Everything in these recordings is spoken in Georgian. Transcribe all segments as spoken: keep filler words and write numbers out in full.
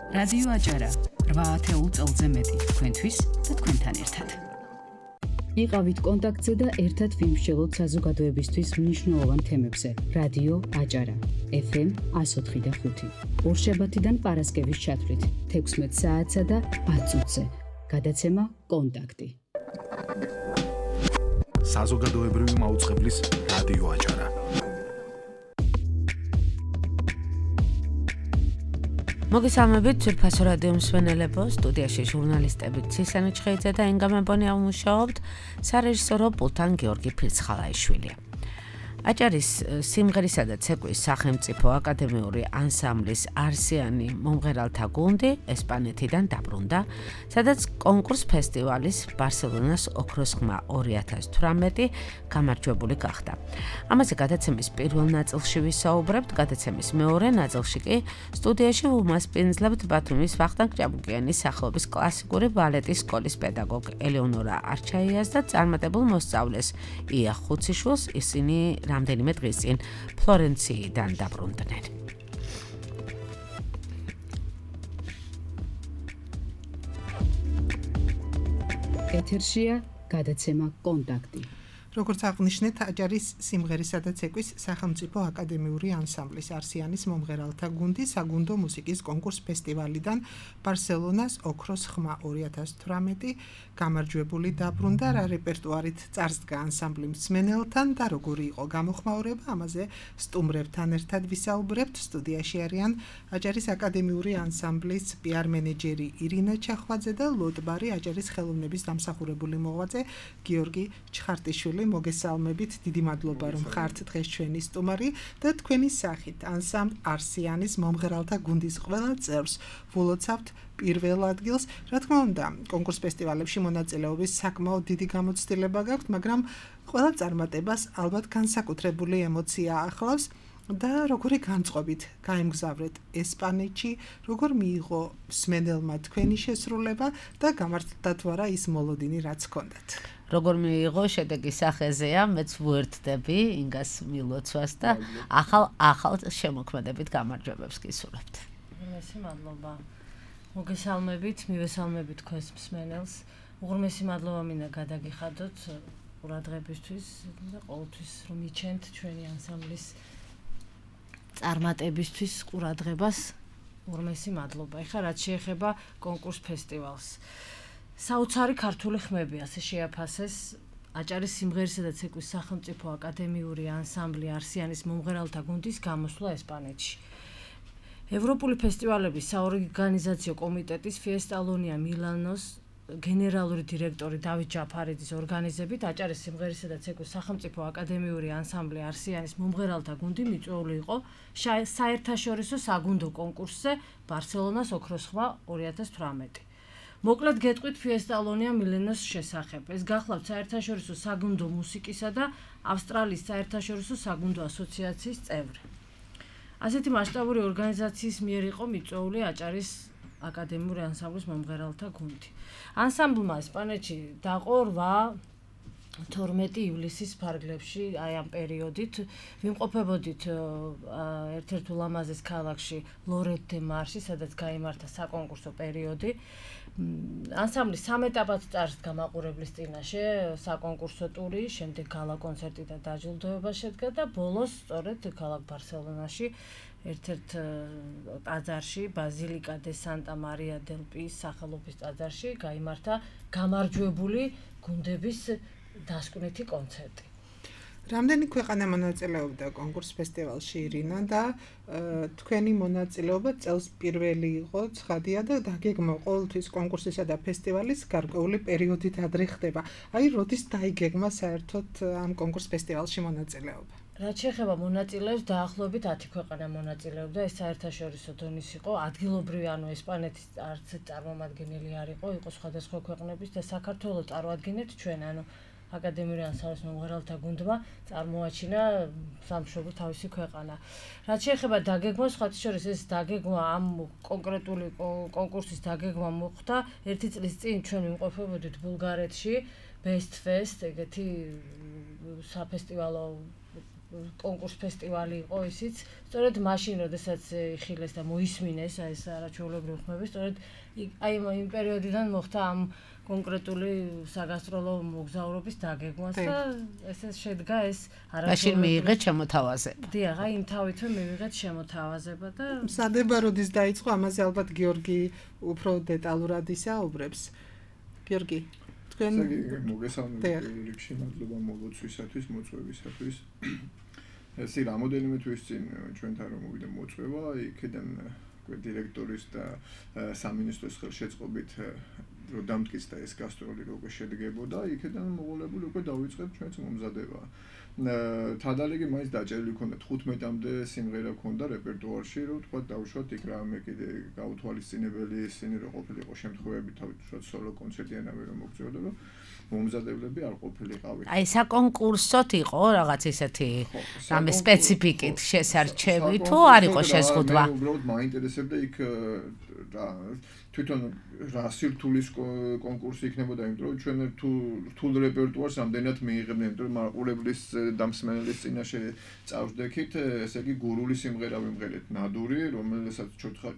რადიო აჭარა რვა ათეულ წელზე მეტი თქვენთვის და თქვენთან ერთად. იყავით კონტაქტზე და ერთად ვიმსჯელოთ საზოგადოებისთვის მნიშვნელოვან თემებზე. რადიო აჭარა ეფ ემ εκατო ოთხი და ხუთი. ორშაბათიდან პარასკევის ჩათვლით თექვსმეტ საათსა და ათ წუთზე. გადაცემა კონტაქტი. საზოგადოებრივი მაუწყებლის რადიო აჭარა. მოგესალმებით ძვირფასო რადიო მსმენელებო, სტუდიაში ჟურნალისტები ცისანი ჩხეიძე და ენგა მებონია ვმუშაობთ, სარეჟისორო პულტან გიორგი ფირცხალაიშვილი. აჭარის სიმღერისა და ცეკვის სახელმწიფო აკადემიური ანსამბლის არსიანი მომღერალთა გუნდი ესპანეთიდან დაბრუნდა, სადაც კონკურს ფესტივალის ბარსელონას ოქროს ხმა ორი ათას თვრამეტი გამარჯვებული გახდა. ამაზე გადაცემის პირველ ნაწილში ვისაუბრებთ, გადაცემის მეორე ნაწილში კი სტუდიაში ვუმასპინძლებთ ბათუმის ვახტანგ ჭაბუკიანის სახელობის კლასიკური ბალეტის სკოლის პედაგოგ ელეონორა არჩაიას და წარმატებულ მოსწავლეს ია ხუციშვილს. ისინი რამდენიმე დღის წინ ფლორენციიდან დაბრუნდნენ. ეთერშია გადაცემა კონტაქტი. როგორც აღნიშნეთ, აჭარის სიმღერისა და ცეკვის სახელმწიფო აკადემიური ანსამბლის არსიანის მომღერალთა გუნდი საგუნდო მუსიკის კონკურს ფესტივალიდან ბარსელონას ოქროს ხმა ორი ათას თვრამეტი გამარჯვებული დაბრუნდა. რა რეპერტუარით წარსდგა ანსამბლი მსმენელთან და როგორი იყო გამოხმაურება, ამაზე სტუმრებთან ერთად ვისაუბრებთ. სტუდიაში არიან აჭარის აკადემიური ანსამბლის პიარ მენეჯერი ირინა ჩახვაძე და ლოტბარი აჭარის ხელოვნების დამსახურებული მოღვაწე გიორგი ჩხარტიშვილი. მოგესალმებით, დიდი მადლობა რომ ხართ დღეს ჩვენი სტუმარი და თქვენი სახით ანსამბლ არსიანის მომღერალთა გუნდის ყველა წევრს ვულოცავთ პირველ ადგილს. რა თქმა უნდა, კონკურს ფესტივალებში მონაწილეობის საკმაოდ დიდი გამოცდილება გაქვთ, მაგრამ ყველა წარმატებას ალბათ განსაკუთრებული ემოცია ახლავს და როგორი განწყობით გაემგზავრეთ ესპანეთში, როგორ მიიღო მსმენელმა თქვენი შესრულება და გამართლდა თუ არა ის მოლოდინი, რაც ჰქონდათ. როგორ მიიღო შედეგი სახეზეა, მეც ვუერთდები ინგას მილოცვას და ახალ ახალ შემოქმედებით გამარჯვებებს გისურვებთ. უღრმესი მადლობა. მოგესალმებით, მივესალმებით თქვენს მსმენელს. უღრმესი მადლობა მინდა გადაგიხადოთ ყურადღებისთვის და ყოველთვის რომ მიჩენთ ჩვენი ანსამბლის წარმატებისთვის ყურადღებას. უღრმესი მადლობა. ეხლა რაც შეეხება კონკურს ფესტივალს. საოცარი ქართული ხმები ასე შეაფასეს აჭარის სიმღერისა და ცეკვის სახელმწიფო აკადემიური ანსამბლი არსიანის მომღერალთა გუნდის გამოსვლა ესპანეთში. ევროპული ფესტივალების საორგანიზაციო კომიტეტის ფიესტალონია მილანოს გენერალური დირექტორი დავით ჯაფარიძის ორგანიზებით აჭარის სიმღერისა და ცეკვის სახელმწიფო აკადემიური ანსამბლი არსიანის მომღერალთა გუნდი მიწვეული იყო საერთაშორისო საგუნდო კონკურსზე ბარსელონას ოქროს ხმა ორი ათას თვრამეტი. მოკლედ გეტყვით ფიესტალონია მილენოს შესახებ. ეს გახლავთ საერთაშორისო საგუნდო მუსიკისა და ავსტრალიის საერთაშორისო საგუნდო ასოციაციის წევრი. ასეთი მასშტაბური ორგანიზაციის მიერ იყო მიწვეული აჭარის აკადემიური ანსამბლის მომღერალთა გუნდი. ანსამბლმა ესპანეთში დაყო რვა თორმეტი ივლისის ფარგლებში, აი ამ პერიოდით ვიმყოფებოდით ერთ-ერთ ულამაზეს ქალაქში ლორეთ დე მარში, სადაც გაიმართა საკონკურსო პერიოდი. ანსამბლი სამ ეტაპად წარსდგა მაყურებლის წინაშე, საკონკურსო ტური, შემდეგ გალა კონცერტი და დაჯილდოება შედგა და ბოლოს სწორედ ქალაქ ბარსელონაში ერთ-ერთ ტაძარში, ბაზილიკა დე სანტა მარია დელ პის სახელობის ტაძარში გაიმართა გამარჯვებული გუნდების დასკვნითი კონცერტი. რამდენი ქვეყანა მონაწილეობდა კონკურს ფესტივალში ირინა და თქვენი მონაწილეობა წელს პირველი იყო, ცხადია და დაგეგმა ყოველთვის კონკურსისა და ფესტივალის გარკვეული პერიოდით ადრე ხდება. აი, როდის დაიგეგმა საერთოდ ამ კონკურს ფესტივალში მონაწილეობა? რაც შეეხება მონაწილეებს, დაახლოებით ათი ქვეყანა მონაწილეობდა, ეს საერთაშორისო დონის იყო, ადგილობრივი, ანუ ესპანეთის არც წარმომადგენელი არ იყო, იყო სხვადასხვა ქვეყნების და საქართველოს წარვადგენთ ჩვენ, ანუ აკადემიური ანსამბლის მომღერალთა გუნდმა წარმოაჩინა სამშობლო თავისი ქვეყანა. რაც შეეხება დაგეგმას, სხვათა შორის ეს დაგეგმა ამ კონკრეტული კონკურსის დაგეგმა მოხდა ერთი წლის წინ ჩვენ ვიმყოფებოდით ბულგარეთში, Best Fest, ეგეთი საფესტივალო კონკურს ფესტივალი იყო ისიც, სწორედ მაშინ, როდესაც იხილეს და მოისმინეს აი ეს არაჩვეულებრივი ხმები, სწორედ აი იმ პერიოდიდან მოხდა ამ კონკრეტული საგასტროლო მოგზაურობის დაგეგმვას და ესე შედგა ეს არაჩვეულებრივი. მაშინ მიიღეთ შემოთავაზება. დიახ, აი იმ თავითვე მივიღეთ შემოთავაზება და მზადება როდის დაიწყო, ამაზე ალბათ გიორგი უფრო დეტალურად ისაუბრებს. გიორგი მოგესალმებით რიგში მადლობა მოლოცვისათვის, მოწვევისათვის. ესე რამოდენიმე თვის წინ ჩვენთან რომ მოვიდა მოწვევა, იქიდან დირექტორის და სამინისტროს ხელშეწყობით რომ დამტკიცდა ეს გასტროლი როგორ შედგებოდა, იქიდან მოვალებული უკვე დავიწყეთ ჩვენც მომზადება. თადალიგი მაინც დაჭერილი ქონდა თხუთმეტამდე სიმღერა ქონდა რეპერტუარში, რომ თქვა დავუშვათ იქ რამე კიდე გაუთვალისწინებელი ისინი რომ ყოფილიყო შემთხვევები თავისუფლად სოლო კონცერტიანები რომ მოგწევდა, რომ მომზადებლები არ ყოფილიყავით. აი საკონკურსოდ იყო რაღაც ისეთი რამე სპეციფიკით შესარჩევი თუ არ იყო შეზღუდვა? მე უბრალოდ მაინტერესებდა იქ თვითონ რა სირთულის კონკურსი იქნებოდა, იმიტომ რომ ჩვენ თუ რთულ რეპერტუარს ამდენად მიიღებდნენ, იმიტომ რომ მაყურებლის დამსმენელის წინაშე წავსდექით, ესე იგი გურული სიმღერა ვიმღერეთ, ნადური, რომელსაც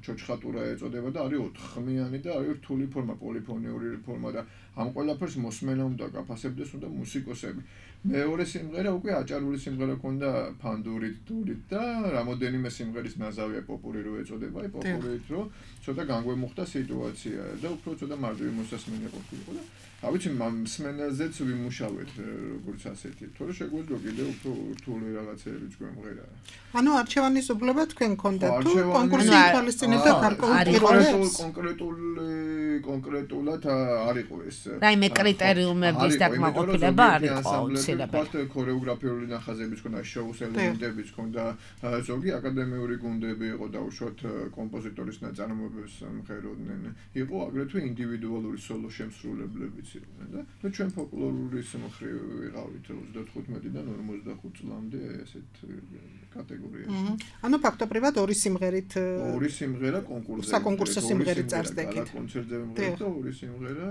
ჩოჩხატურა ეწოდება და არის ოთხხმიანი და არის რთული ფორმა, პოლიფონიური ფორმა და ამ ყველაფერს მოსმენა უნდა გაფასებდეს, უნდა მუსიკოსები. მეორე სიმღერა უკვე აჭარული სიმღერა ქონდა ფანდურით, დურით და რამოდენიმე სიმღერის ნაზავია პოპური რო ეწოდება, აი პოპურით რო ცოტა განგვემუხტა სიტუაცია და უფრო ცოტა მარტივი მოსასმენი ყოფილიყო და რა ვიცი, მსმენელზეც ვიმუშავეთ როგორც ასეთი, თორე შეგვეძლო კიდე უფრო რთული რაღაცეებიც გვემღერა. ანუ არჩევანის უბლება თქვენ ქონდათ თუ კონკურსი ითვალისწინებდა გარკვეულ პირობებს? კონკრეტული კონკრეტულად არ იყო ეს. რაიმე კრიტერიუმების დაკმაყოფილება არ იყო აუცილებელი. ქორეოგრაფიული ნახაზებიც ქონდა, შოუს ელემენტებიც ქონდა, ზოგი აკადემიური გუნდები იყო დაუშვათ კომპოზიტორის ნაწარმოებებს მღეროდნენ. იყო აგრეთვე ინდივიდუალური სოლო შემსრულებლებიც იყვნენ და ნუ ჩვენ ფოლკლორის მხრივ ვიყავით ოცდათხუთმეტიდან ორმოცდახუთ წლამდე ესეთ კატეგორიაში. ანუ ფაქტობრივად ორი სიმღერით ორი სიმღერა კონკურსზე. საკონკურსო სიმღერით წარსდექით. კონცერტზე ვიმღერეთ და ორი სიმღერა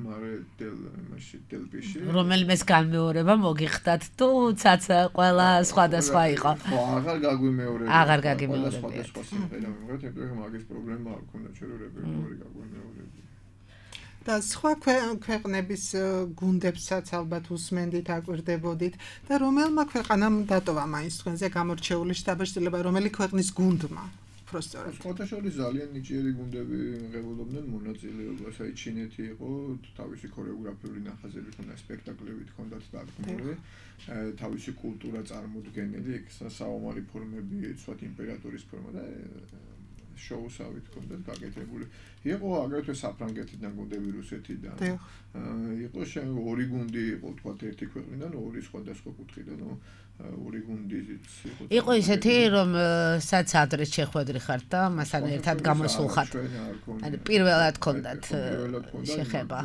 მარე დელ მაშინ დელპიში. რომელმეს განმეორება მოგიხდათ თუ ცაცა ყველა სხვადასხვა იყო. ხო, აღარ გაგვიმეორება. აღარ გაგიმეორებიათ. სხვადასხვა სიმღერა ვიმღერეთ, იმიტომ რომ მაგის პრობლემა არ ქონდა ჩვენ რეპერტუარი გაგვიმეორებია. და სხვა ქვეყნების გუნდებსაც ალბათ უსმენდით, აკვირდებოდით და რომელმა ქვეყანამ დატოვა მაინც თქვენზე გამორჩეული შტაბ-შტილება, რომელი ქვეყნის გუნდმა? პროსტორად. სხვათა შორის ძალიან ნიჭიერი გუნდები მიღებულობდნენ მონაწილეობას, აი ჩინეთი იყო, თავისი ქორეოგრაფიული ნახაზები ქონდა, სპექტაკლებით ქონდათ დადგმული, თავისი კულტურა წარმოდგენილი, იქ საომარი ფორმები, ცოტა იმპერატორის ფორმა და შოუსავით ქონდათ გაკეთებული. იყო აგრეთვე საფრანგეთიდან გუნდები, რუსეთიდან. იყო ორი გუნდი იყო, თქვათ ერთი ქვეყნიდან, ორი სხვადასხვა კუთხიდან, ორი გუნდიც იყო. იყო ისეთი, რომ სადაც ადრე შეხვედრი ხართ და მასთან ერთად გამოსულხართ. ანუ პირველად ქონდათ შეხება.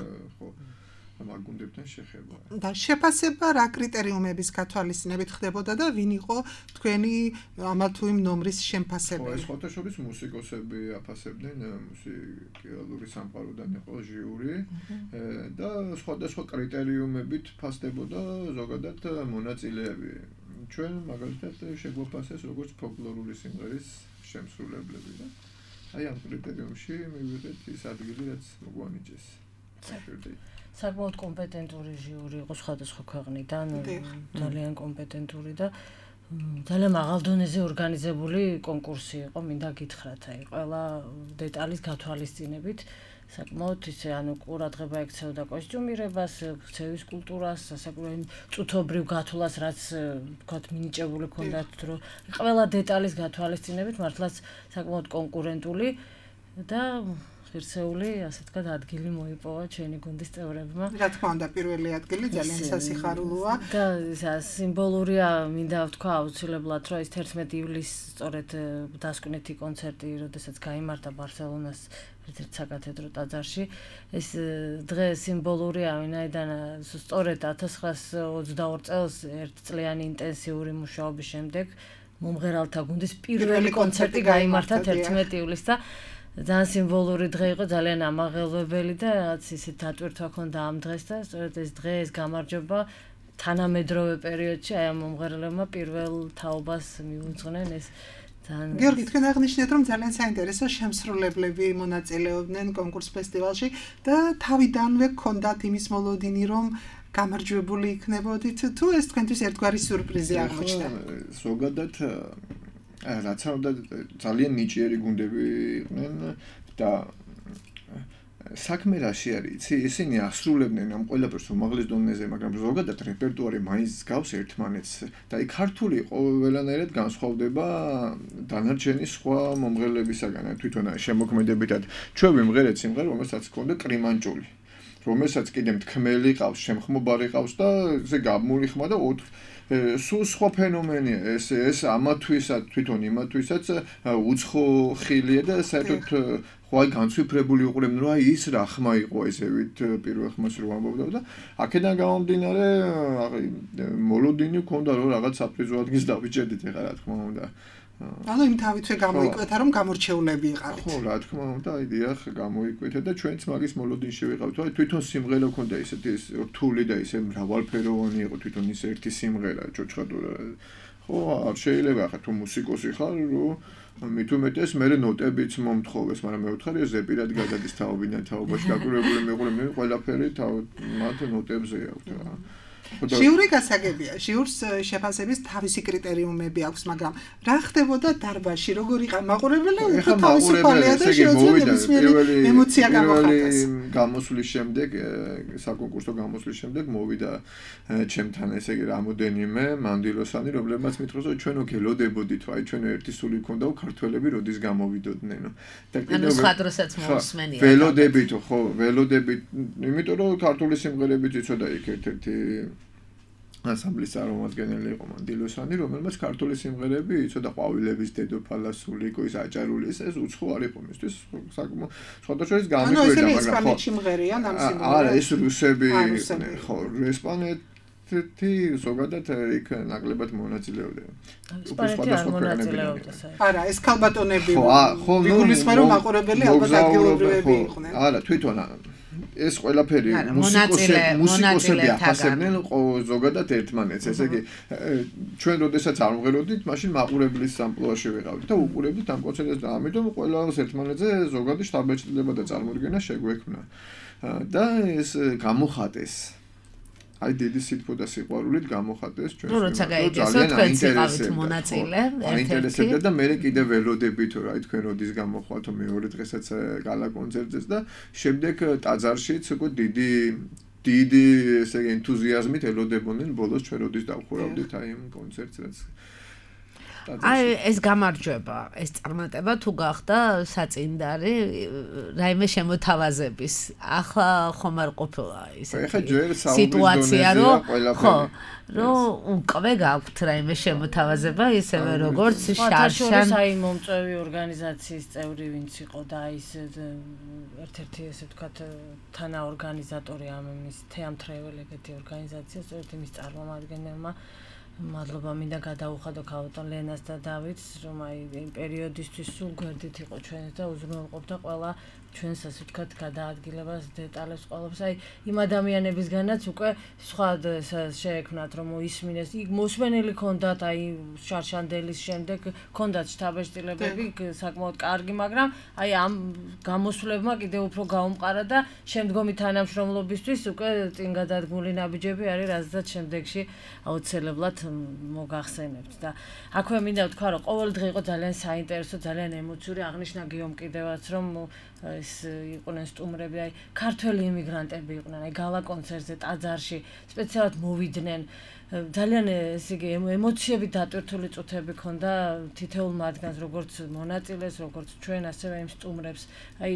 მაგ გუნდებთან შეხება. და შეფასება რა კრიტერიუმების გათვალისწინებით ხდებოდა და ვინ იყო თქვენი ამა თუ იმ ნომრის შემფასებელი? ეს სხვათა შორის მუსიკოსები აფასებდნენ, მუსიკალური სამყაროდან იყო ჟიური და სხვადასხვა კრიტერიუმებით ფასდებოდა ზოგადად მონაწილეები. ჩვენ მაგალითად შეგვაფასეს როგორც ფოლკლორული სიმღერის შემსრულებლები და აი ამ კრიტერიუმში მივიღეთ ის ადგილი, რაც მოგვანიჭეს. საკმაოდ კომპეტენტური ჟიური იყო სხვადასხვა ქვეყნიდან, ძალიან კომპეტენტური და ძალიან მაღალ დონეზე ორგანიზებული კონკურსი იყო, მინდა გითხრათ, აი ყველა დეტალის გათვალისწინებით საკმაოდ ისე ანუ ყურადღება ექცეოდა კოსტიუმირებას, ქცევის კულტურას, საკუთარ წუთობრივ გათვლას, რაც ვთქვათ მინიჭებული ქონდათ, რომ ყველა დეტალის გათვალისწინებით მართლაც საკმაოდ კონკურენტული და ღირსეული, ასე ვთქვათ, ადგილი მოიპოვა ჩვენი გუნდის წევრებმა. რა თქმა უნდა, პირველი ადგილი ძალიან სასიხარულოა და სიმბოლურია, მინდა ვთქვა აუცილებლად, რომ ეს თერთმეტი ივლისს სწორედ დასკვნითი კონცერტი, როდესაც გაიმართა ბარსელონას ერთ-ერთ საკათედრო ტაძარში, ეს დღე სიმბოლურია, ვინაიდან სწორედ ათას ცხრაას ოცდაორ წელს ერთწლიანი ინტენსიური მუშაობის შემდეგ მომღერალთა გუნდის პირველი კონცერტი გაიმართა თერთმეტი ივლისს და ძალიან სიმბოლური დღე იყო, ძალიან ამაღელვებელი და რაღაც ისეთ დატვირთვა ქონდა ამ დღეს და სწორედ ეს დღე, ეს გამარჯვება თანამედროვე პერიოდში აი ამ მომღერლებმა პირველ თაობას მიუძღნენ ეს გიორგი, თქვენ აღნიშნეთ, რომ ძალიან საინტერესო შემსრულებლები მონაწილეობდნენ კონკურს ფესტივალში და თავიდანვე გქონდათ იმის მოლოდინი, რომ გამარჯვებული იქნებოდით, თუ ეს თქვენთვის ერთგვარი სიურპრიზი აღმოჩნდა? ზოგადად რაც უნდა ძალიან ნიჭიერი გუნდები იყვნენ და საქმე რაში არის, იცი, ისინი ასრულებდნენ ამ ყველაფერს უმაღლეს დონეზე, მაგრამ ზოგადად რეპერტუარი მაინც გავს ერთმანეთს და აი ქართული ყველანაირად განსხვავდება დანარჩენი სხვა მომღერლებისაგან. თვითონ შემოქმედებითად ჩვენ ვიმღერეთ სიმღერა, რომელსაც ჰქონდა კრიმანჭული, რომელსაც კიდე მთქმელი ყავს, შემხმობარი ყავს და ესე გამული ხმა და სულ სხვა ფენომენია ეს ეს ამათვისაც თვითონ იმათვისაც უცხო ხილია და საერთოდ ხوای განცვიფრებული უყურებდნენ რომ აი ის რა ხმა იყო ესევით პირველ ხმას რო ამბობდა და აქედან გამომდინარე მოლოდინი ქონდა რომ რაღაც საპრიზო ადგილს დავიჭერდით ეხლა რა თქმა უნდა ანუ იმ თავითვე გამოიკვეთა რომ გამორჩეულები იყავით ხო რა თქმა უნდა აი დიახ გამოიკვეთა და ჩვენც მაგის მოლოდინში ვიყავით აი თვითონ სიმღერა ქონდა ისეთი რთული და ისე მრავალფეროვანი იყო თვითონ ის ერთი სიმღერა ჭოჭხადურა ხო არ შეიძლება ხა თუ მუსიკოსი ხარ რომ მით უმეტეს მე ნოტებიც მომთხოვეს მაგრამ მე ვთხარი ზეპირად გადადის თაობიდან თაობაში დაკვირვებული მეყურებდნენ ყველაფერი თავ მათ ნოტებზე აქვს რა ჟიური გასაგებია ჟიურს შეფასების თავისი კრიტერიუმები აქვს მაგრამ რა ხდებოდა დარბაზში როგორ იყა მაყურებელი უფრო თავისუფალია და შეუძლია ნებისმიერი ემოცია გამოხატოს გამოსვლის შემდეგ საკონკურსო გამოსვლის შემდეგ მოვიდა ჩემთან ესე იგი რამოდენიმე მანდილოსანი რომლებმაც მითხროს რომ ჩვენო გელოდებოდით აი ჩვენო ერთი სული ქონდაო ქართველები როდის გამოვიდოდნენ და კიდევ სხვა დროსაც მოსმენია ველოდებით ხო ველოდებით იმიტომ რომ ქართული სიმღერებით იცოდა იქ ერთ-ერთი ანსამბლის წარმომადგენელი იყო მანდილოსანი, რომელმაც ქართული სიმღერები იცოდა ყვავილების დედოფალა სულიკო ის აჭარული ეს უცხო არ იყო მისთვის საკმაოდ სხვადასხვა გამიკვირდა მაგრამ ანუ ეს ესპანეთში მღერიან ამ სიმღერებს არა ეს რუსები ხო ესპანეთი ზოგადად იქ ნაკლებად მონაწილეობდნენ ესპანეთი არ მონაწილეობდა არა ეს ქალბატონები ხო გულისხმობ რომ მაყურებელი ალბათ ადგილობრივები იყვნენ არა თვითონ ეს ყველაფერი მუსიკოსები აფასებდნენ ზოგადად ერთმანეთს ესე იგი ჩვენ როდესაც არ ვღეროდით მაშინ მაყურებლის სამპლუაში ვიყავით და უყურებდით ამ კონცერტებს და ამიტომ ყველას ერთმანეთზე ზოგადი შთაბეჭდილება და წარმოდგენა შეგვექმნა და ეს გამოხატეს აი დიდი სიტყვა და სიყვარულით გამოხატეს ჩვენ ნუ როცა გაიგესო თქვენ იყავით მონაწილე ერთ-ერთი და მე კიდე ველოდებით რა თქვენ როდის გამოხვალთო მეორე დღესაც გალა კონცერტზეც და შემდეგ ტაძარშიც უკვე დიდი დიდი ესე იგი ენთუზიაზმით ელოდებოდნენ ბოლოს ჩვენ როდის დავხურავდით აი ამ კონცერტს რაც აი ეს გამარჯვება ეს წარმატება თუ გახდა საწინდარი რაიმე შემოთავაზების ახლა ხომ არ ყოფილა ისეთი სიტუაცია რომ ხო რომ უკვე გაქვთ რაიმე შემოთავაზება ისევე როგორც შარშან აი მომწვევი ორგანიზაციის წევრი ვინც იყო და ის ერთ-ერთი ესე ვთქვათ თანაორგანიზატორი ამ ის თეატრეველ ეგეთი ორგანიზაცია სწორედ იმის წარმომადგენელმა მადლობა მინდა გადაუხადო ქალბატონ ლენას და დავითს რომ აი იმ პერიოდისთვის სულ გვერდით იყო ჩვენს და უზრუნველყოფდა ყველა ჩვენს ასე ვთქვათ გადაადგილებას დეტალებს ყველაფერს აი იმ ადამიანებისგანაც უკვე სხვა შეექმნათ რომ მოისმინეს იქ მოსვენელი ქონდათ აი შარშანდელის შემდეგ ქონდათ შთაბეჭდილებები საკმაოდ კარგი მაგრამ აი ამ გამოსვლებმა კიდევ უფრო გაუმყარა და შემდგომი თანამშრომლობისთვის უკვე წინ გადადგმული ნაბიჯები არის რაზეც შემდეგში აუცილებლად მოგახსენებთ და აქვე მინდა ვთქვა რომ ყოველ დღე იყო ძალიან საინტერესო ძალიან ემოციური აღნიშნა გიომ კიდევაც რომ ეს იყვნენ სტუმრები, აი ქართველი იმიგრანტები იყვნენ, აი გალა კონცერტზე ტაძარში სპეციალურად მოვიდნენ. ძალიან ესე იგი ემოციები დატვირთული წუთები ქონდა თითოეულ მათგანს, როგორც მონაწილეს, როგორც ჩვენ, ასევე იმ სტუმრებს. აი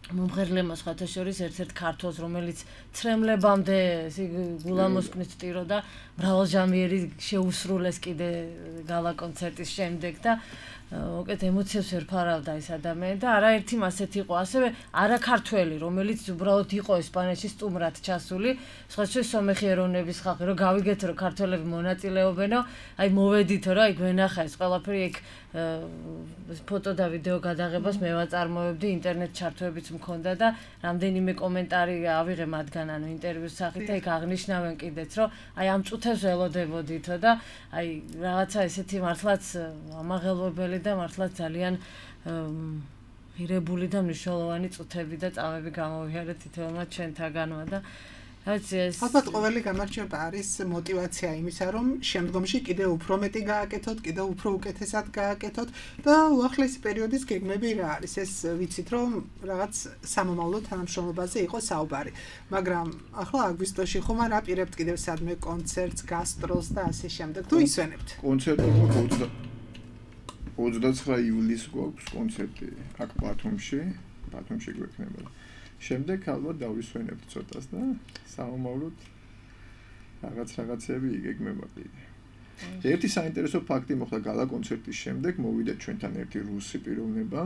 მომღერლებმა სხვათა შორის ერთ-ერთ ქართველს, რომელიც ცრემლებამდე გულამოსკნით სტიროდა, მრავალჟამიერი შეუსრულეს კიდე გალა კონცერტის შემდეგ და უკეთ ემოციებს ვერ ფარავდა ეს ადამიანი და არაერთი მასეთ იყო ასევე არაქართველი რომელიც უბრალოდ იყო ესპანეთში სტუმრად ჩასული სხვა შეიძლება სომეხი ეროვნების ხალხი რომ გავიგეთ რომ ქართველები მონაწილეობენო აი მოვედითო რა იქ ვენახა ეს ყველაფერი იქ ფოტო და ვიდეო გადაღებას მე ვაწარმოებდი ინტერნეტ ჩართვებიც მქონდა და რამდენიმე კომენტარი ავიღე მათგან ანუ ინტერვიუს სახით და იქ აღნიშნავენ კიდეც რომ აი ამ წუთებს ველოდებოდითო და აი რაღაცა ესეთი მართლაც ამაღელვებელი და მართლაც ძალიან ღირებული და მნიშვნელოვანი წუთები და წამები გამოვიარეთ თითოეულმა ჩვენთაგანმა და ალბათ ყოველი გამარჯვება არის мотиваცია იმისა, რომ შემდგომში კიდევ უფრო მეტი გააკეთოთ, კიდევ უფრო უკეთესად გააკეთოთ და უახლესი პერიოდის გეგმები რა არის. ეს ვიცით, რომ რაღაც სამომავლო თანამშრომლობაზე იყო საუბარი. მაგრამ ახლა აგვისტოში ხომ არ აპირებთ კიდევ სადმე კონცერტს, გასტროლს და ასე შემდეგ. თუ ისვენებთ. კონცერტი ოცდაცხრა ივლისს გვაქვს კონცერტი აქ ბათუმში, ბათუმში გვექნება. შემდეგ ალბათ დავისვენებთ ცოტას და საომავლოდ რაღაც რაღაცები იგეგმება კიდე. ერთი საინტერესო ფაქტი მოხდა გალა კონცერტის შემდეგ მოვიდა ჩვენთან ერთი რუსი პიროვნება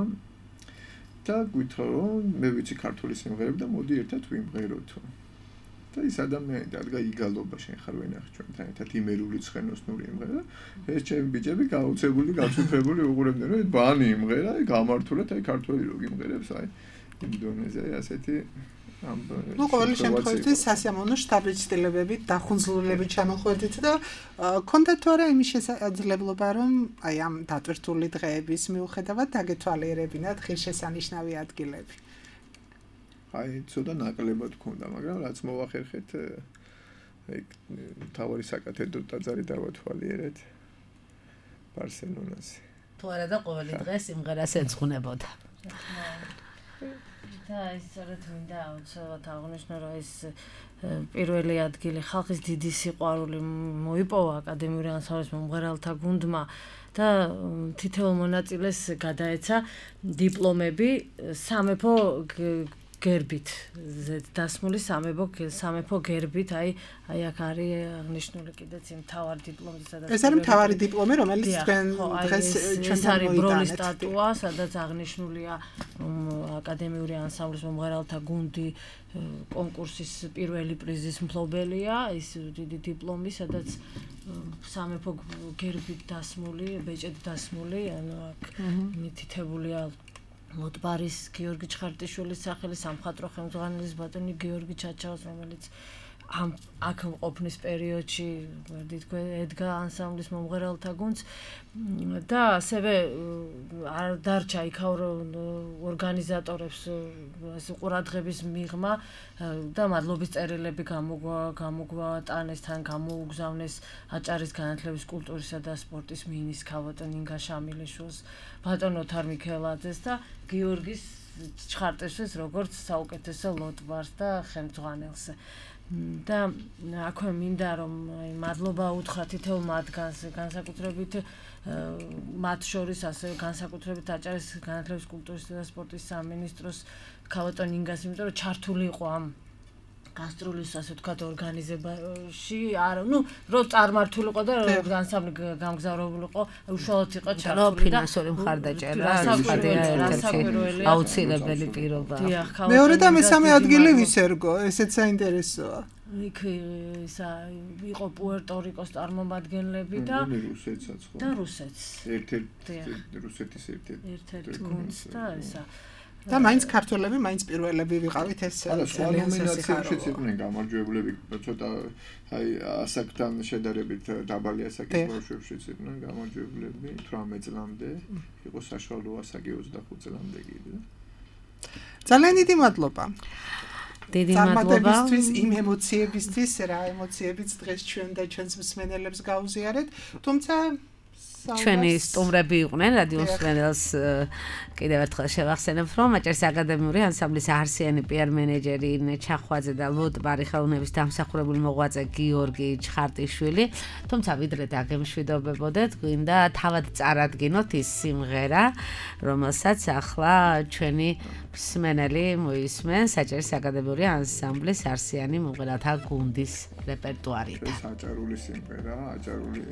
და გვითხრა რომ მე ვიცი ქართული სიმღერები და მოდი ერთად ვიმღეროთ. და ის ადამიანი დადგა იგალობა შენ ხარ ვენახი ჩვენთან ერთად იმერული ცხენოსნური იმღერა. ეს ჩემი ბიჭები გაუცებული, გაცვიფრებული უყურებდნენ რომ ბანი იმღერა, გამართულად აი ქართველი რო გიმღერებს აი ინდონეზია ასეთი ამ ნუ ყოველი შემთხვევაში სასიამოვნო შტაბის ცდილებებით დახუნძლულებით ჩამოხვედით და კონდათ თუ არა იმის შესაძლებლობა რომ აი ამ დატვირთული დღეების მიუხედავად დაგეთვალიერებინათ ღირსშესანიშნავი ადგილები. აი ცოტა ნაკლებად ქონდა, მაგრამ რაც მოვახერხეთ აი თავარი საკათედრო ტაძარი დავათვალიერეთ ბარსელონაზე. თუ არა და ყოველი დღე სიმღერას ეძღვნებოდა. და ეს სწორედ მინდა აუცილებლად აღნიშნო რომ ეს პირველი ადგილი ხალხის დიდი სიყვარული მოიპოვა აკადემიური ანსამბლის მომღერალთა გუნდმა და თითოეულ მონაწილეს გადაეცა დიპლომები სამეფო გერბით დასმული სამეფო სამეფო გერბით აი აი აქ არის აღნიშნული კიდეც იმ თავარ დიპლომზე სადაც ეს არის თავარი დიპლომი რომელიც თქვენ დღეს ჩვენთან მოიტანეთ ბროლის სტატუა სადაც აღნიშნულია აკადემიური ანსამბლის მომღერალთა გუნდი კონკურსის პირველი პრიზის მფლობელია ის დიდი დიპლომი სადაც სამეფო გერბით დასმული ბეჭედ დასმული ანუ აქ მითითებულია მოტბარის გიორგი ჩხარტიშვილის სახელი სამხატვრო ხელმძღვანელის ბატონი გიორგი ჩაჩაოს რომელიც ამ აქ ყოფნის პერიოდში ვერდი თქვენ ედგა ანსამბლის მომღერალთა გუნდს და ასევე არ დარჩა იქაურო ორგანიზატორებს ეს ყურადღების მიღმა და მადლობის წერილები გამოგვატანეს თან გამოუგზავნეს აჭარის განათლების კულტურისა და სპორტის მინისტრს ქავატონ ინგა შამილიშვილს ბატონ ოთარ მიქელაძეს და გიორგის ჩხარტიშვილს როგორც საუკეთესო ლოტბარს და ხელმძღვანელს და აქვე მინდა რომ აი მადლობა უთხრა თითოეულ მათგანს განსაკუთრებით მათ შორის ასევე განსაკუთრებით აჭარის განათლების კულტურისა და სპორტის სამინისტროს ქავატონ ინგას იმიტომ რომ ჩართული იყო ამ გასტროლის ასე ვთქვათ ორგანიზებაში არა ნუ რო წარმართული იყო და ანსამბლი გამგზავრებული იყო უშუალოდ იყო ჩართული და ფინანსური მხარდაჭერა აუცილებელი პირობა მეორე და მესამე ადგილი ვის ერგო ესეც საინტერესოა იქ ისა იყო პუერტო-რიკოს წარმომადგენლები და რუსეთსაც ხო და რუსეთს ერთ-ერთი რუსეთის ერთ-ერთი ერთ-ერთი გუნდს და ისა და მაინც ქართველები მაინც პირველები ვიყავით ეს ძალიან ნომინაციებშიც იყვნენ გამარჯვებულები ცოტა აი ასაკთან შედარებით დაბალი ასაკის ბავშვებშიც იყვნენ გამარჯვებულები თვრამეტ წლამდე იყო საშუალო ასაკი ოცდახუთ წლამდე კიდე ძალიან დიდი მადლობა დიდი მადლობა იმ ემოციებისთვის რა ემოციებიც დღეს ჩვენ და ჩვენს მსმენელებს გაუზიარეთ თუმცა ჩვენი სტუმრები იყვნენ რადიო მსმენელს კიდევ ერთხელ შევახსენებთ რომ აჭარის აკადემიური ანსამბლის არსიანი პიარ მენეჯერი ინე ჩახვაძე და ლოტბარი ხელოვნების დამსახურებული მოღვაწე გიორგი ჩხარტიშვილი თუმცა ვიდრე დაგემშვიდობებოდეთ გვინდა თავად წარადგინოთ ის სიმღერა რომელსაც ახლა ჩვენი მსმენელი მოისმენს აჭარის აკადემიური ანსამბლის არსიანი მომღერალთა გუნდის რეპერტუარიდან ეს აჭარული სიმღერა აჭარული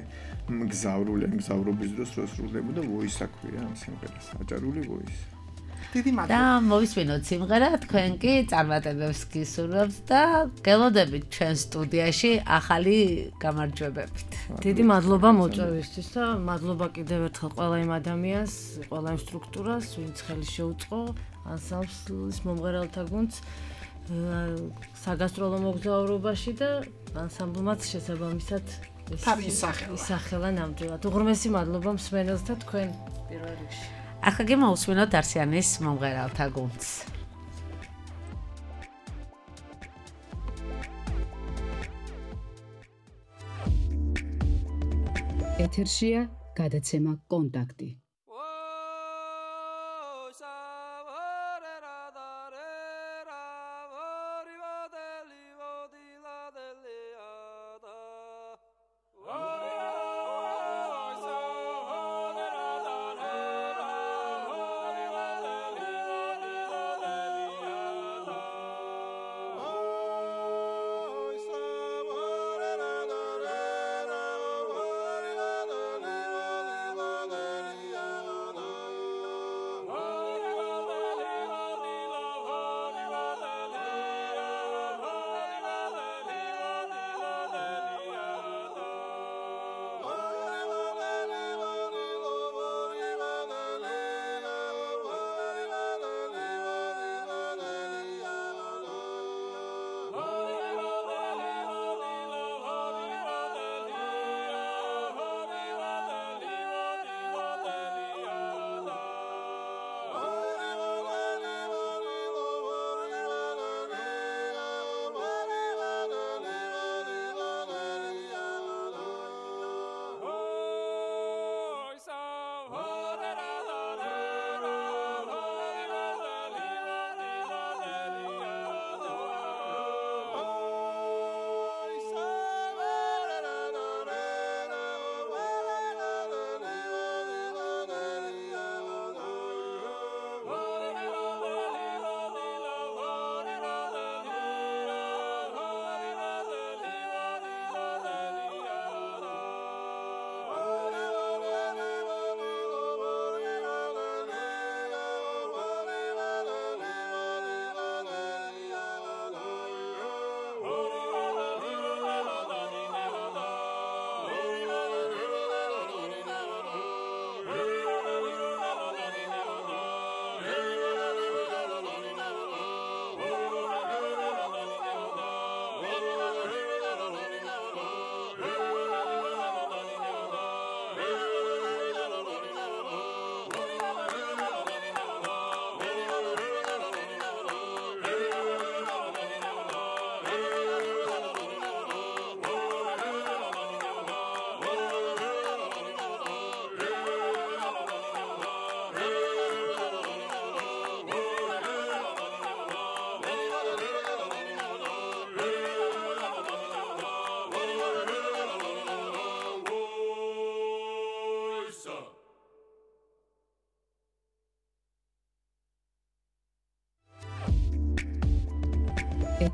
მგზავრული მგზავრული მოგზაურობის დროს რო სრულდებოდა voice აქვია ამ სიმღერას აჭარული voice დიდი მადლობა და მოვისმინოთ სიმღერა თქვენ კი წარმატებებს გისურვებთ და გელოდებით ჩვენ სტუდიაში ახალი გამარჯვებებით დიდი მადლობა მოწვევისთვის და მადლობა კიდევ ერთხელ ყველა იმ ადამიანს ყველა იმ სტრუქტურას ვინც ხელი შეუწყო ანსამბლის მომღერალთა გუნდს საგასტროლო მოგზაურობაში და ანსამბლმაც შესაბამისად ისახელა ნამდვილად. უღრმესი მადლობა მსმენელს და თქვენ პირველ რიგში. ახლა კი მოусმინოთ არსიანის მომღერალთა გუნდს. ეთერშია გადაცემა კონტაქტი.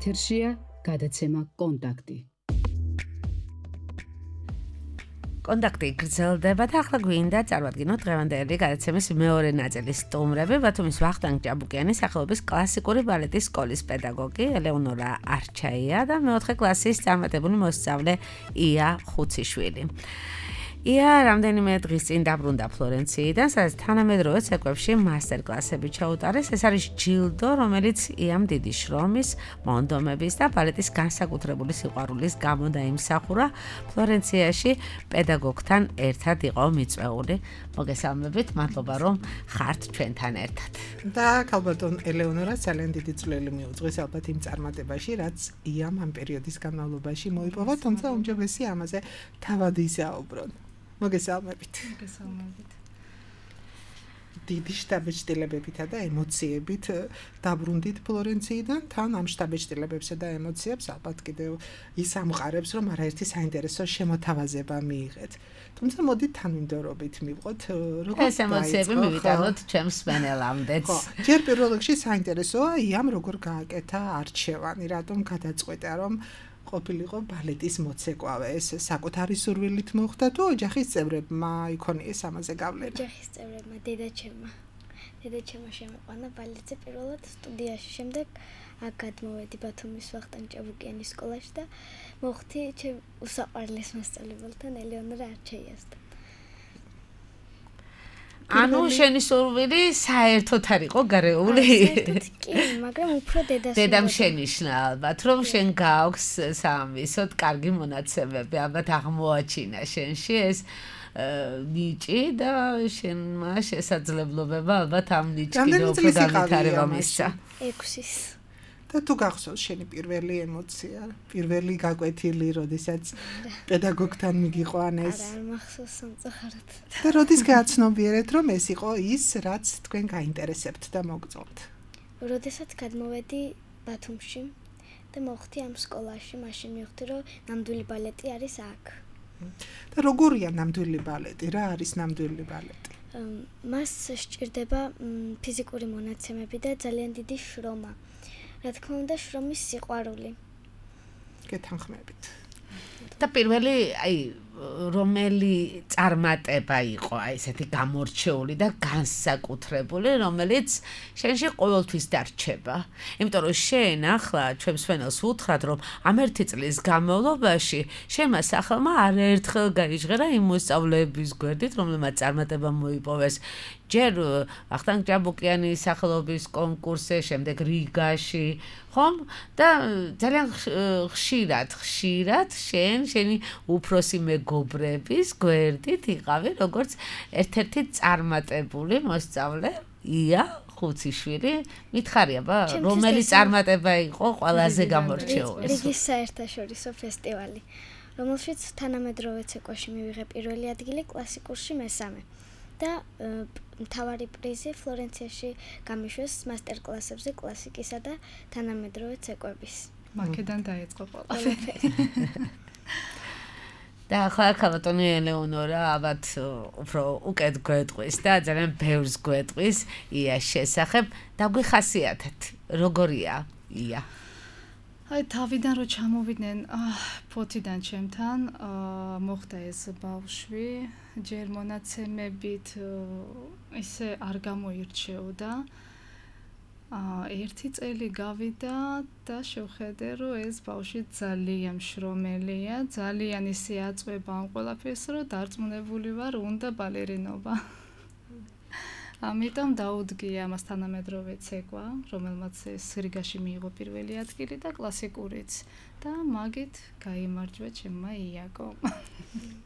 ეთერშია გადაცემა კონტაქტი. კონტაქტი გრძელდება და ახლა გვინდა წარმატგინოთ დღევანდელი გადაცემის მეორე ნაწილის სტუმრები, ბათუმის ვახტანგ ჭაბუკიანის სახელობის კლასიკური ბალეტის სკოლის პედაგოგი ელეონორა არჩაია და მეოთხე კლასის წარმატებული მოსწავლე ია ხუციშვილი. ია რამდენიმე დღის წინ დაბრუნდა ფლორენციიდან, სადაც თანამედროვე ცეკვებში მასტერ-კლასები ჩაუტარეს. ეს არის ჯილდო, რომელიც იამ დიდი შრომის, მონდომების და ბალეტის განსაკუთრებული სიყვარულის გამო დაიმსახურა. ფლორენციაში პედაგოგთან ერთად იყო მიწვეული. მოგესალმებით, მადლობა რომ ხართ ჩვენთან ერთად. და ქალბატონ ელეონორა ძალიან დიდი წვლილი მიუძღვის ალბათ იმ წარმატებაში, რაც იამ ამ პერიოდის განმავლობაში მოიპოვა, თუმცა უმჯობესი ამაზე თავად ისაუბრონ. მოგესალმებით. მოგესალმებით. დიდი შთაბეჭდილებებითა და ემოციებით დაბრუნდით ფლორენციიდან, თან ამ შთაბეჭდილებებსა და ემოციებს ალბათ კიდევ ის ამყარებს, რომ არაერთი საინტერესო შემოთავაზება მიიღეთ. თუმცა მოდით თანმიმდევრობით მივყოთ, როგორ ეს ემოციები მივიტანოთ ჩემს სპენელამდეც. ჯერ პირველ რიგში საინტერესოა იამ როგორ გააკეთა არჩევანი, რატომ გადაწყვეტა რომ ყოფილიყო ბალეტის მოცეკვავე. ეს საკუთარი სურვილით მოხდა თუ ოჯახის წევრებმა იქონიეს ამაზე გავლენა? ოჯახის წევრებმა, დედაჩემმა. დედაჩემმა შემოყვანა ბალეტზე პირველად სტუდიაში, შემდეგ აქ გადმოვედი ბათუმის ვახტანგ ჭაბუკიანის სკოლაში და მოხდი ჩემ უსაყვარლეს მასწავლებელთან ელეონორა არჩეიასთან. ანუ შენი სურვილი საერთოდ არ იყო გარეული? საერთოდ კი, მაგრამ უფრო დედას დედამ შენიშნა ალბათ, რომ შენ გააქვს სამისოდ კარგი მონაცემები, ალბათ აღმოაჩინა შენში ეს ნიჭი და შენმა შესაძლებლობება ალბათ ამ ნიჭი უფრო განვითარება მისცა. ექვსის. და თუ გახსოვს შენი პირველი ემოცია, პირველი გაკვეთილი, როდესაც პედაგოგთან მიგიყვანეს? არა, არ მახსოვს სამწუხაროდ. და როდის გააცნობიერეთ, რომ ეს იყო ის, რაც თქვენ გაინტერესებთ და მოგწონთ? როდესაც გადმოვედი ბათუმში და მოხდი ამ სკოლაში, მაშინ მივხვდი, რომ ნამდვილი ბალეტი არის აქ. და როგორია ნამდვილი ბალეტი? რა არის ნამდვილი ბალეტი? მას სჭირდება ფიზიკური მონაცემები და ძალიან დიდი შრომა. რა თქმა უნდა, შრომის სიყვარული. გეთანხმებით. და პირველი, აი, რომელი წარმატება იყო, აი, ესეთი გამორჩეული და განსაკუთრებული, რომელიც შენში ყოველთვის დარჩება. იმიტომ რომ შენ ახლა ჩვენს მშვენელს უთხრათ, რომ ამ ერთი წლის განმავლობაში შენმა სახელმა არაერთხელ გაიჟღერა იმ მოსწავლეების გვერდით, რომელმაც წარმატება მოიპოვეს. ჯერ ვახტანგ ჭაბუკიანის სახელობის კონკურსზე, შემდეგ რიგაში, ხომ? და ძალიან ხშირად, ხშირად შენ, შენი უფროსი მეგობრების გვერდით იყავი, როგორც ერთ-ერთი წარმატებული მოსწავლე, ია ხუციშვილი. მითხარია, ბა, რომელი წარმატება იყო ყველაზე გამორჩეული? რიგის საერთაშორისო ფესტივალი, რომელშიც თანამედროვე ცეკვაში მივიღე პირველი ადგილი, კლასიკურში მესამე. და მთავარი პრიზი ფლორენციაში გამიშვეს მასტერ-კლასებზე კლასიკისა და თანამედროვე ცეკვების. მაქედან დაიწყო ყველაფერი. და ახლა ქალბატონი ელეონორა ალბათ უფრო უკეთ გვეტყვის და ძალიან ბევრს გვეტყვის იას შესახებ. დაგვიხასიათეთ, როგორია ია? აი თავიდან რო ჩამოვიდნენ ფოთიდან ჩემთან, მოხდა ეს ბავშვი, ჯერ მონაცემებით ისე არ გამოირჩეოდა. ერთი წელი გავიდა და შევხედე, რომ ეს ბავშვი ძალიან შრომელია, ძალიან ისე აწვება ამ ყველაფერს, რომ დარწმუნებული ვარ, უნდა ბალერინობა. ამიტომ დაუდგია მას თანამედროვე ცეკვა, რომელმაც ეს რიგაში მიიღო პირველი ადგილი და კლასიკურიც და მაგით გაიმარჯვა ჩემმა იაკო.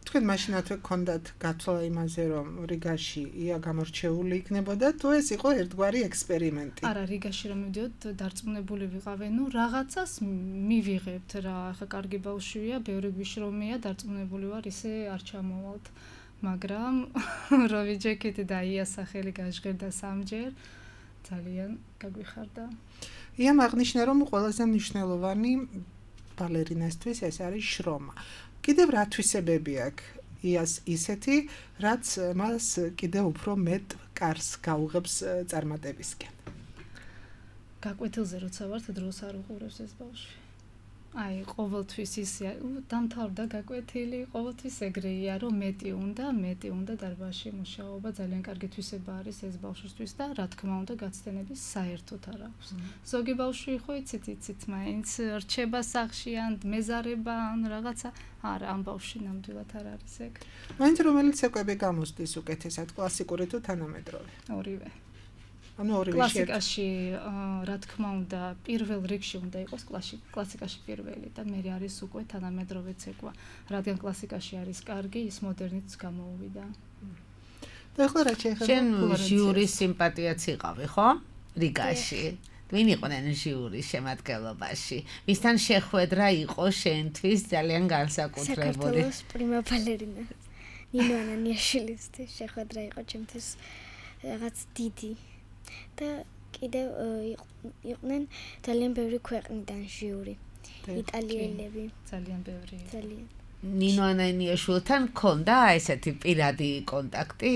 თქვენ მაშინათვე გქონდათ გაცვლა იმაზე, რომ რიგაში ია გამორჩეული იქნებოდა, თუ ეს იყო ერთგვარი ექსპერიმენტი? არა, რიგაში რომ მივდიოთ, დარწმუნებული ვიყავე, ნუ რაღაცას მივიღებთ რა, ახლა კარგი ბავშვია, ბევრი გვიშრომია, დარწმუნებული ვარ, ისე არ ჩამოვალთ. მაგრამ რო ვიჯექით და იას სახელი გაჟღერდა სამჯერ, ძალიან გაგვიხარდა. იამ აღნიშნა, რომ ყველაზე მნიშვნელოვანი ბალერინასთვის ეს არის შრომა. კიდევ რა თვისებები აქვს იას ისეთი, რაც მას კიდევ უფრო მეტ კარს გაუღებს წარმატებისკენ? გაკვეთილზე როცა ვართ, დროს არ უყურებს ეს ბავშვი. აი, ყოველთვის ისე დამთავრდა გაკვეთილი, ყოველთვის ეგრეია, რომ მეტი უნდა, მეტი უნდა დარბაზში მუშაობა, ძალიან კარგი თვისება არის ეს ბავშვისთვის და რა თქმა უნდა, გაცდენების საერთოდ არ აქვს. ზოგი ბავშვი ხო იცით, იცით, მაინც რჩება სახში ან მეზარება ან რაღაცა, არა, ამ ბავშვი ნამდვილად არ არის ეგ. მაინც რომელი ცეკვები გამოსდის უკეთესად, კლასიკური თუ თანამედროვე? ორივე. ანუ ორივე კლასიკაში, რა თქმა უნდა, პირველ რიგში უნდა იყოს კლასიკაში პირველი და მე არის უკვე თანამედროვე ცეკვა. რადგან კლასიკაში არის კარგი, ის მოდერნიც გამოუვიდა. და ახლა რა შეიძლება? შენ ჟიურის სიმპათიაც იყავი, ხო? რიგაში. ვინ იყვნენ ჟიურის შემადგენლობაში? ვისთან შეხვედრა იყო შენთვის ძალიან განსაკუთრებული? საქართველოს პრიმა ბალერინა ნინო ანანიაშვილისთვის შეხვედრა იყო ჩემთვის რაღაც დიდი. და კიდევ იყვნენ ძალიან ბევრი ქვეყნიდან ჟიური. იტალიელები, ძალიან ბევრი. ძალიან. ნინო ანანიაშვილთან ქონდა ესეთი პირადი კონტაქტი?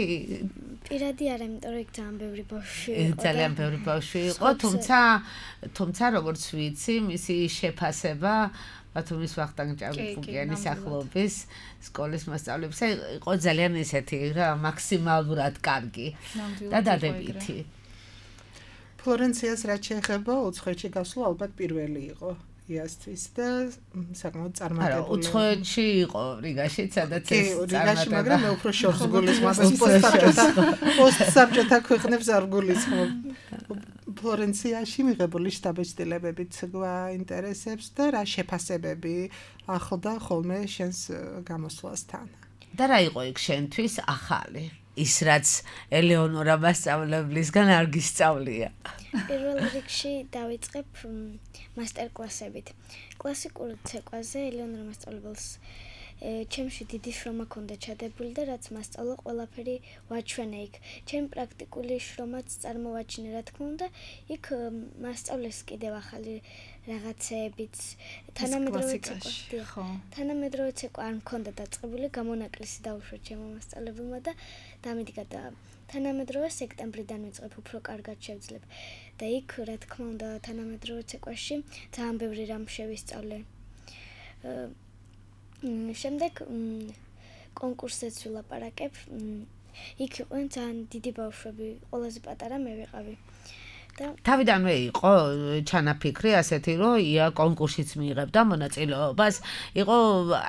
პირადი არა, იმიტომ რომ იქ ძალიან ბევრი ბავშვი იყო. ძალიან ბევრი ბავშვი იყო, თუმცა თუმცა როგორც ვიცი, მისი შეფასება ბათუმის ვახტანგ ჭავჭავაძის ახლობის სკოლის მასწავლებლებს. იყო ძალიან ისეთი რა მაქსიმალურად კარგი და დადებითი. ფლორენციას რაც შეეხება უცხოეთში გასვლა ალბათ პირველი იყო იასთვის და საკმაოდ წარმატებული. არა, უცხოეთში იყო რიგაში, სადაც ეს რიგაში, მაგრამ მე უფრო შორს გულისხმობ პოსტსაბჭოთა პოსტსაბჭოთა ქვეყნებს არ გულისხმობ. ფლორენციაში მიღებული შტაბ-ჭრილებებით გვაინტერესებს და რა შეფასებები ახლდა ხოლმე შენს გამოსვლასთან. და რა იყო იქ შენთვის ახალი? ის რაც ელეონორა მასწავლებლისგან არ გისწავლია. პირველ რიგში დავიწყებ მასტერკლასებით. კლასიკურ ცეკვაზე ელეონორა მასწავლებელს ჩემში დიდი შრომა ჰქონდა ჩადებული და რაც მასწავლა ყველაფერი ვაჩვენე იქ. ჩემ პრაქტიკული შრომაც წარმოვაჩინე რა თქმა უნდა, იქ მასწავლეს კიდევ ახალი რაღაცეებიც თანამედროვე ცეკვა. თანამედროვე ცეკვა არ მქონდა დაწყებული, გამონაკლისი დაუშვა ჩემო მასწავლებელმა და დამიდგა და თანამედროვე სექტემბრიდან ვიწყებ უფრო კარგად შევძლებ. და იქ რა თქმა უნდა თანამედროვე ცეკვაში ძალიან ბევრი რამ შევისწავლე. შემდეგ კონკურსზეც ვილაპარაკებ. იქ იყვნენ ძალიან დიდი ბავშვები, ყველაზე პატარა მე ვიყავი. თავიდანვე იყო ჩანაფიქრი ასეთი, რომ ია კონკურსიც მიიღებდა მონაწილეობას. იყო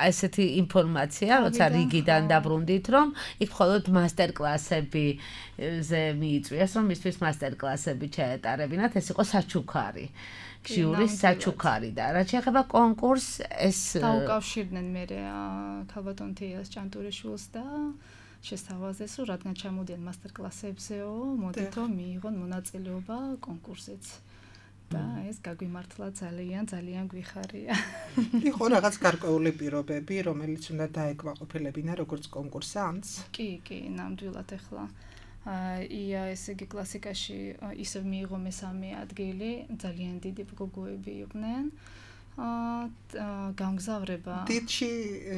ასეთი ინფორმაცია, როცა რიგიდან დაბრუნდით, რომ იქ მხოლოდ მასტერკლასებზე მიიწვიეს, რომ მისთვის მასტერკლასები ჩაეტარებინათ, ეს იყო საჩუქარი. ჟიურის საჩუქარი და რაც შეეხება კონკურსს, ეს დაუკავშირდნენ მე ქალბატონ თეას ჭანტურიშვილს და შესთავაზეს, რომ რადგან ჩამოდიან მასტერკლასებზეო, მოდით რომ მიიღონ მონაწილეობა კონკურსზეც. და ეს გაგვიმართლა ძალიან, ძალიან გვიხარია. იყო რაღაც გარკვეული პირობები, რომელიც უნდა დაეკმაყოფილებინა როგორც კონკურსანტს? კი, კი, ნამდვილად ახლა. ია ესე იგი კლასიკაში ისევ მიიღო მესამე ადგილი, ძალიან დიდი გოგოები იყვნენ. აა გამგზავრება. დიდში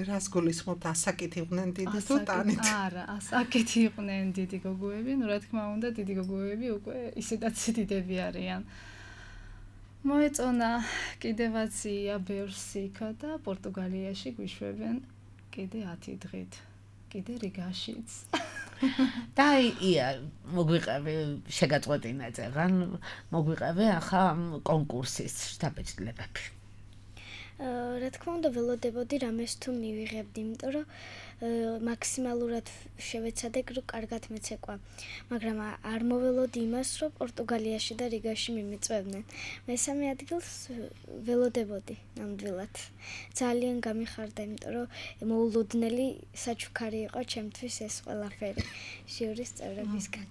რას გულისხმობთ, ასაკით იყვნენ დიდი თუ ტანით? არა, ასაკით იყვნენ დიდი გოგოები, ну რა თქმა უნდა, დიდი გოგოები უკვე ისედაც დიდები არიან. მოეწონა კიდევაც ია ბევრს იქა და პორტუგალიაში გვიშვებენ კიდე ათი დღით. კიდე რიგაშიც. და ია მოგვიყევი შეგაწყვეტინა წეგან მოგვიყევი ახლა კონკურსის შტაბ-ჭრილებები. რა თქმა უნდა ველოდებოდი რამეს თუ მივიღებდი, იმიტომ რომ მაქსიმალურად შევეცადე რომ კარგად მეცეკვა, მაგრამ არ მოველოდი იმას, რომ პორტუგალიაში და რიგაში მიმიწვევდნენ. მესამე ადგილს ველოდებოდი ნამდვილად. ძალიან გამიხარდა, იმიტომ რომ მოულოდნელი საჩუქარი იყო ჩემთვის ეს ყველაფერი ჟიურის წევრებისგან.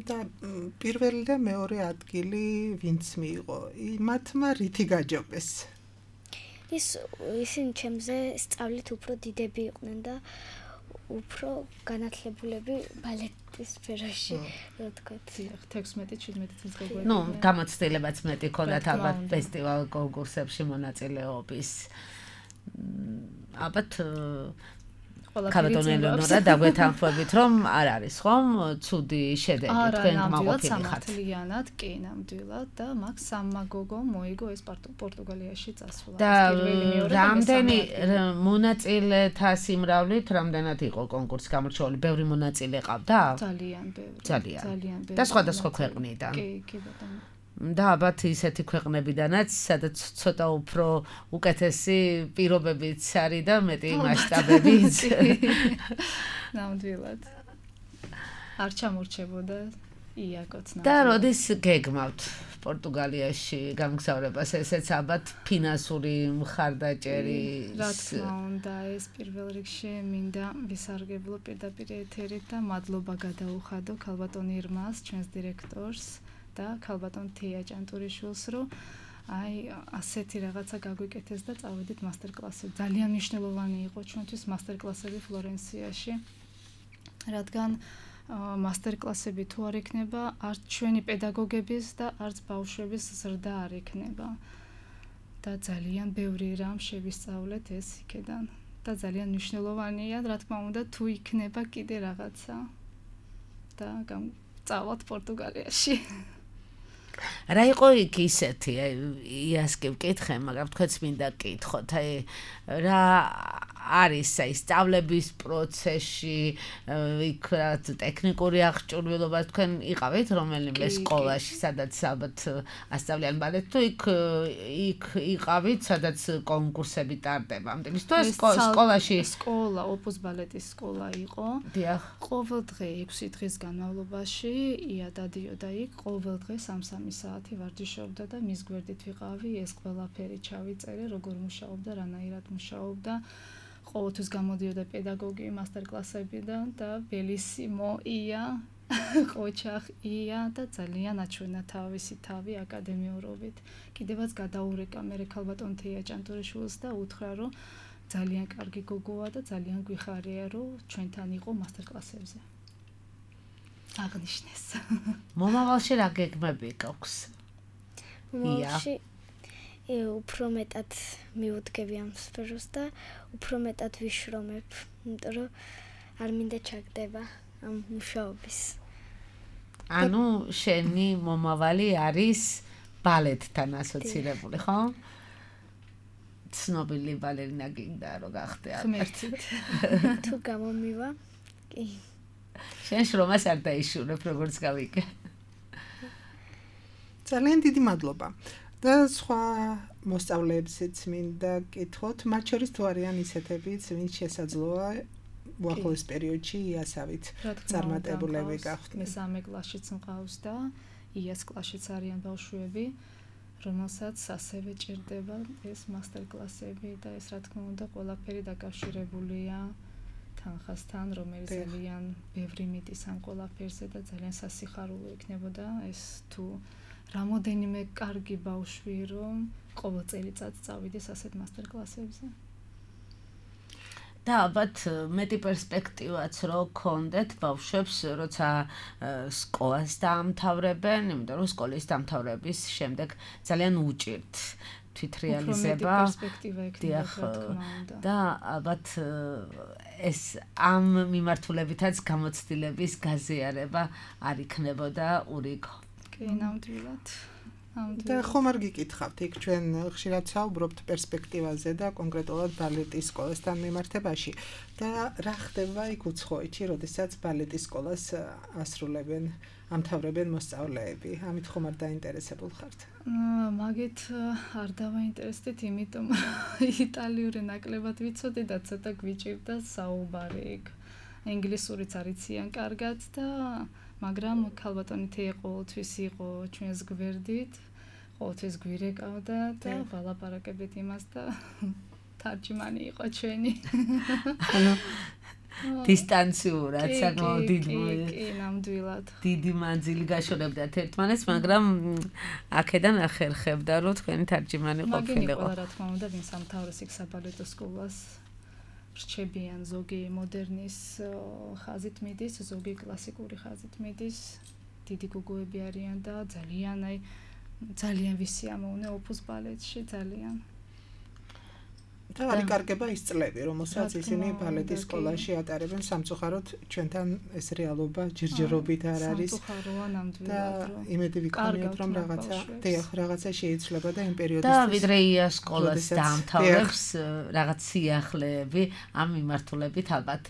და პირველი და მეორე ადგილი ვინც მიიღო? მათმა რითი გაჯობეს? ის ისინი ჩემზე სწავლით უფრო დიდები იყვნენ და უფრო განათლებულები ბალეტის სფეროში, რა თქვა. თექვსმეტი შვიდმეტი წლის გოგოები. ნუ, გამოცდილებაც მეტი ქონდათ ალბათ ფესტივალ კონკურსებში მონაწილეობის. ალბათ ქალბატონ ელეონორა დაგვეთანხმებით, რომ არ არის ხომ ცუდი შედეგი თქვენ გამოყოფილი ხართ. ნამდვილად, კი, ნამდვილად და მაგ სამმა გოგომ მოიგო ეს პორტუგალიაში წასვლა. და რამდენი მონაწილეთა სიმრავლით რამდენად იყო კონკურსი გამორჩეული? ბევრი მონაწილე ყავდა? ძალიან ბევრი. ძალიან. ძალიან ბევრი. და სხვადასხვა ქვეყნიდან. კი, კი ბატონო. და ალბათ ისეთი ქვეყნებიდანაც, სადაც ცოტა უფრო უკეთესი პირობებიც არის და მეტი მასშტაბებიც. ნამდვილად. არ ჩამორჩებოდა იაკოც ნამდვილად. და როდის გეგმავთ პორტუგალიაში გამგზავრებას, ესეც ალბათ ფინანსური მხარდაჭერი. რა თქმა უნდა, ეს პირველ რიგში მინდა ვისარგებლო პირდაპირ ეთერით და მადლობა გადაუხადო ქალბატონ ირმას, ჩვენს დირექტორს. და ქალბატონ თეა ჭანტურიშვილს, რომ აი ასეთი რაღაცა გაგვიკეთეს და წავედით მასტერკლასზე. ძალიან მნიშვნელოვანი იყო ჩვენთვის მასტერკლასები ფლორენციაში, რადგან მასტერკლასები თუ არ იქნება, არც ჩვენი პედაგოგების და არც ბავშვების ზრდა არ იქნება. და ძალიან ბევრი რამ შევისწავლეთ ეს იქედან. და ძალიან მნიშვნელოვანია, რა თქმა უნდა, თუ იქნება კიდე რაღაცა. და წავალთ პორტუგალიაში. რა იყო იქ ისეთი, იას კი ვკითხე, მაგრამ თქვენც მინდა გკითხოთ, აი რა არის აი სწავლების პროცესში, იქ რაც ტექნიკური აღჭურვილობა თქვენ იყავით რომელიმე სკოლაში, სადაც ალბათ ასწავლიან ბალეტს, თუ იქ იქ იყავით, სადაც კონკურსები ტარდება. ამიტომ თუ სკოლაში სკოლა, ოპუს ბალეტის სკოლა იყო. დიახ. ყოველ დღე ექვსი დღის განმავლობაში ია დადიოდა იქ, ყოველ დღე სამ-სამი საათი ვარჯიშობდა და მის გვერდით ვიყავი, ეს ყველაფერი ჩავიწერე, როგორ მუშაობდა, რანაირად მუშაობდა. ყოველთვის გამოდიოდა პედაგოგი მასტერკლასებიდან და ბელისიმო ია, ყოჩახ ია და ძალიან აჩვენა თავისი თავი აკადემიურობით. კიდევაც გადაურეკა მე ქალბატონ თეა ჭანტურიშვილს და უთხრა, რომ ძალიან კარგი გოგოა და ძალიან გვიხარია, რომ ჩვენთან იყო მასტერკლასებზე. აღნიშნეს. მომავალში რა გეგმები გაქვს? მომავალში უფრო მეტად მიუდგები ამ სფეროს და უფრო მეტად ვიშრომებ, იმიტომ რომ არ მინდა ჩაგდება ამ მუშაობის. ანუ შენი მომავალი არის ბალეტთან ასოცირებული, ხო? ცნობილი ბალერინა გინდა რომ გახდე ღმერთით. თუ გამომივა, კი. შენ შრომას არ დაიშურებ, როგორც გავიგე. ძალიან დიდი მადლობა. და სხვა მოსწავლეებსაც მინდა გკითხოთ, მათ შორის თუ არიან ისეთებიც, ვინც შესაძლოა უახლოეს პერიოდში იასავით წარმატებულები გახდნენ. მესამე კლასშიც მყავს და იას კლასშიც არიან ბავშვები, რომელსაც ასევე ჭირდება ეს მასტერკლასები და ეს რა თქმა უნდა ყველაფერი დაკავშირებულია თანხასთან, რომელიც ძალიან ბევრი მიდის ამ ყველაფერზე და ძალიან სასიხარულო იქნებოდა ეს თუ რამოდენიმე კარგი ბავშვი რომ ყოველ წელიწადს წავიდეს ასეთ მასტერკლასებზე. და ალბათ მეტი პერსპექტივაც რო გქონდეთ ბავშვებს, როცა სკოლას დაამთავრებენ, იმიტომ რომ სკოლის დამთავრების შემდეგ ძალიან უჭირთ თვითრეალიზება. და ალბათ ეს ამ მიმართულებითაც გამოცდილების გაზიარება არ იქნებოდა ურიგო. კი, ნამდვილად. და ხომ არ გიკითხავთ, იქ ჩვენ ხშირად საუბრობთ პერსპექტივაზე და კონკრეტულად ბალეტის სკოლასთან მიმართებაში და რა ხდება იქ უცხოეთში, როდესაც ბალეტის სკოლას ასრულებენ, ამთავრებენ მოსწავლეები? ამით ხომ არ დაინტერესებულ ხართ? მაგით არ დავაინტერესდით, იმიტომ იტალიური ნაკლებად ვიცოდი და ცოტა გვიჭირდა საუბარი იქ. ინგლისურიც არიციან კარგად და მაგრამ ქალბატონი თეა ყოველთვის იყო ჩვენს გვერდით, ყოველთვის გვირეკავდა და ვალაპარაკებდით იმას და თარჯიმანი იყო ჩვენი. ანუ დისტანციურად, საკმაოდ დიდი კი, ნამდვილად. დიდი მანძილი გაშორებდათ ერთმანეთს, მაგრამ აქედან ახერხებდა, რომ თქვენი თარჯიმანი ყოფილიყო. მაგინი რა თქმა უნდა, ვინც ამთავრეს იქ საბალეტო სკოლას რჩებიან, ზოგი მოდერნის ხაზით მიდის, ზოგი კლასიკური ხაზით მიდის. დიდი გოგოები არიან და ძალიან აი ძალიან ვისიამოვნე ოპუს ბალეტში, ძალიან. და არ იკარგება ის წლები, რომელსაც ისინი ბალეტის სკოლაში ატარებენ, სამწუხაროდ ჩვენთან ეს რეალობა ჯერჯერობით არ არის. სამწუხაროა ნამდვილად. და იმედი ვიქონიოთ, რომ რაღაცა დიახ, რაღაცა შეიცვლება და იმ პერიოდისთვის და ვიდრე იას სკოლას დაამთავრებს რაღაც სიახლეები ამ მიმართულებით ალბათ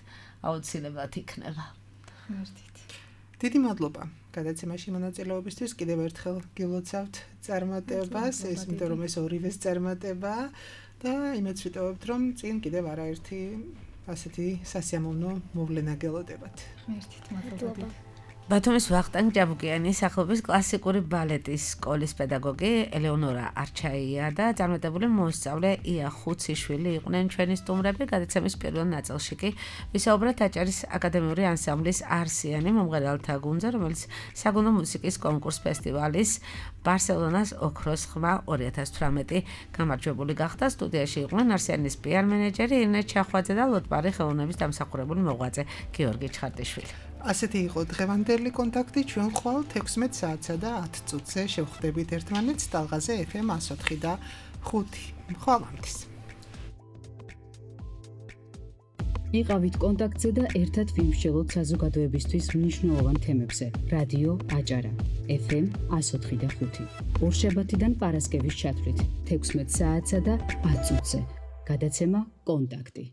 აუცილებლად იქნება. ღმერთით. დიდი მადლობა გადაცემაში მონაწილეობისთვის. კიდევ ერთხელ გილოცავთ წარმატებას, ეს იმიტომ რომ ეს ორივეს წარმატებაა. და იმედს ვიტოვებთ, რომ წინ კიდევ არაერთი ასეთი სასიამოვნო მოვლენა გელოდებათ. ღმერთით მადლობა. ბათუმის ვახტანგ ჯაბუკიანის სახელობის კლასიკური ბალეტის სკოლის პედაგოგი ელეონორა არჩაია და წარმატებული მოსწავლე ია ხუციშვილი იყვნენ ჩვენი სტუმრები. გადაცემის პირველ ნაწილში კი ვისაუბრეთ აჭარის აკადემიური ანსამბლის არსიანი მომღერალთა გუნდზე, რომელიც საგუნდო მუსიკის კონკურს ფესტივალის ბარსელონას ოქროს ხმა ორი ათას თვრამეტი გამარჯვებული გახდა. სტუდიაში იყვნენ არსიანის პიარ მენეჯერი ირინე ჩახვაძე და ლოტბარი ხელოვნების დამსახურებული მოღვაწე გიორგი ჩხარტიშვილი. ასეთი იყო დღევანდელი კონტაქტი. ჩვენ ხვალ თექვსმეტ საათსა და ათ წუთზე შევხვდებით ერთმანეთს ტალღაზე ეფ ემ εκατო ოთხი და ხუთი. ხვალამდის. იყავით კონტაქტზე და ერთად ვიმსჯელოთ საზოგადოებისთვის მნიშვნელოვან თემებზე. რადიო აჭარა, ეფ ემ εκατო ოთხი და ხუთი. ორშაბათიდან პარასკევის ჩათვლით, თექვსმეტ საათსა და ათ წუთზე. გადაცემა კონტაქტი.